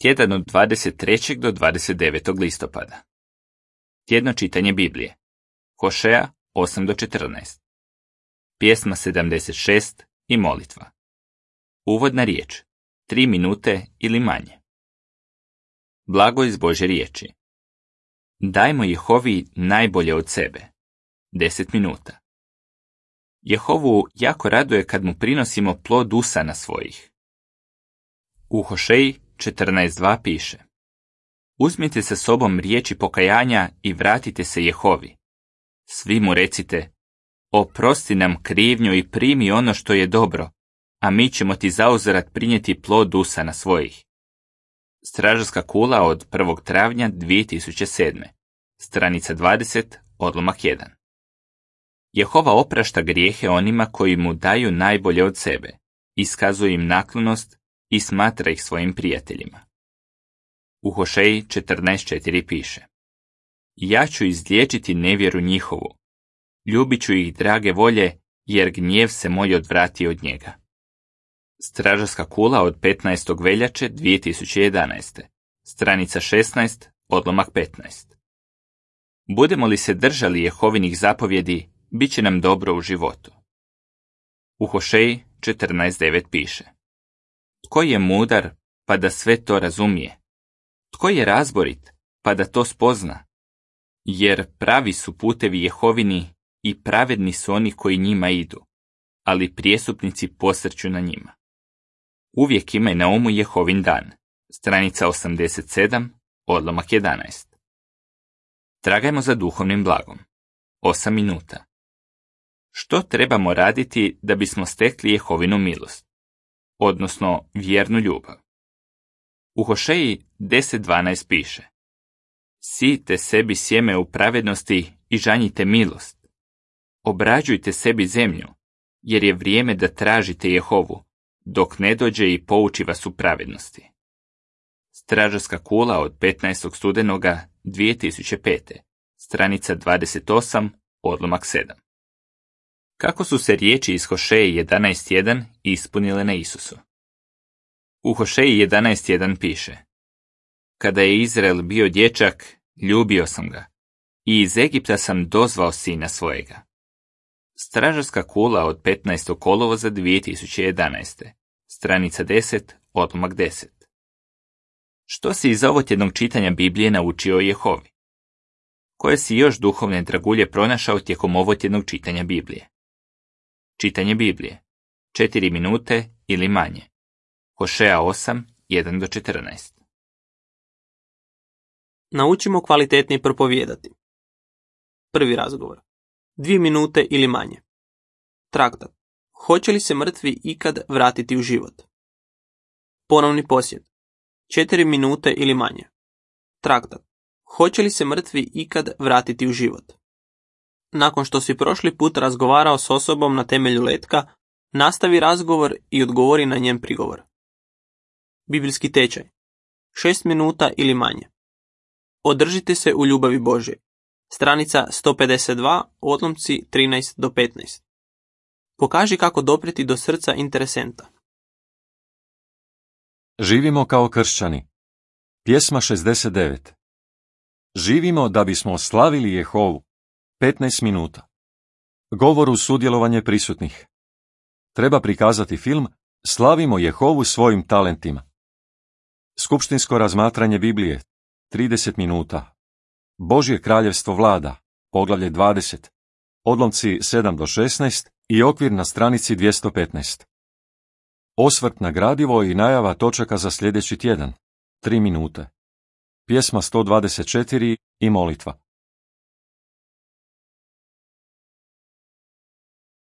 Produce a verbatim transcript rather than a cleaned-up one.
Tjedan od dvadeset trećeg do dvadeset devetog listopada. Tjedno čitanje Biblije. Hošeja osam do četrnaest. Pjesma sedamdeset šest i molitva. Uvodna riječ. Tri minute ili manje. Blago iz Božje riječi. Dajmo Jehovi najbolje od sebe. Deset minuta. Jehovu jako raduje kad mu prinosimo plod usana svojih. U Hošeji četrnaest dva piše: Uzmite sa sobom riječi pokajanja i vratite se Jehovi. Svi mu recite: Oprosti nam krivnju i primi ono što je dobro, a mi ćemo ti zauzvrat prinijeti plod usana svojih. Stražarska kula od prvog travnja dvije tisuće sedme. Stranica dvadeset, odlomak jedan. Jehova oprašta grijehe onima koji mu daju najbolje od sebe, iskazuje im naklonost i smatra ih svojim prijateljima. U Hošeji četrnaest četiri piše: Ja ću izliječiti nevjeru njihovu, ljubit ću ih drage volje, jer gnjev se moj odvrati od njega. Stražarska kula od petnaestog veljače dvije tisuće jedanaeste. Stranica šesnaest, odlomak petnaest. Budemo li se držali Jehovinih zapovjedi, bit će nam dobro u životu. U Hošeji četrnaest devet piše: Tko je mudar, pa da sve to razumije? Tko je razborit, pa da to spozna? Jer pravi su putevi Jehovini i pravedni su oni koji njima idu, ali prijestupnici posrću na njima. Uvijek imaj na umu Jehovin dan. Stranica osamdeset sedam, odlomak jedanaest. Tragajmo za duhovnim blagom. Osam minuta. Što trebamo raditi da bismo stekli Jehovinu milost, odnosno vjernu ljubav? U Hošeji deset dvanaest piše: Sijte sebi sjeme u pravednosti i žanjite milost. Obrađujte sebi zemlju, jer je vrijeme da tražite Jehovu, dok ne dođe i pouči vas u pravednosti. Stražarska kula od petnaestog studenoga dvije tisuće pete. Stranica dvadeset osam, odlomak sedam. Kako su se riječi iz Hošeje jedanaest jedan ispunile na Isusu? U Hošeji jedanaest jedan piše: Kada je Izrael bio dječak, ljubio sam ga, i iz Egipta sam dozvao sina svojega. Stražarska kula od petnaestog kolovoza dvije tisuće jedanaeste. Stranica deset, odlomak deset. Što si iz ovotjednog čitanja Biblije naučio o Jehovi? Koje si još duhovne dragulje pronašao tijekom ovotjednog čitanja Biblije? Čitanje Biblije. Četiri minute ili manje. Hošeja osam, jedan do četrnaest. Naučimo kvalitetnije propovijedati. Prvi razgovor. Dvije minute ili manje. Traktat. Hoće li se mrtvi ikad vratiti u život? Ponovni posjet. Četiri minute ili manje. Traktat. Hoće li se mrtvi ikad vratiti u život? Nakon što si prošli put razgovarao s osobom na temelju letka, nastavi razgovor i odgovori na njen prigovor. Biblijski tečaj. Šest minuta ili manje. Održite se u ljubavi Božje. Stranica sto pedeset dva, odlomci trinaest do petnaest. Pokaži kako doprijeti do srca interesenta. Živimo kao kršćani. Pjesma šezdeset devet. Živimo da bismo slavili Jehovu. petnaest minuta. Govor uz sudjelovanje prisutnih. Treba prikazati film Slavimo Jehovu svojim talentima. Skupštinsko razmatranje Biblije. trideset minuta. Božje kraljevstvo vlada. Poglavlje dvadeset. Odlomci sedam do šesnaest i okvir na stranici dvjesto petnaest. Osvrt na gradivo i najava točaka za sljedeći tjedan. tri minute. Pjesma sto dvadeset četiri i molitva.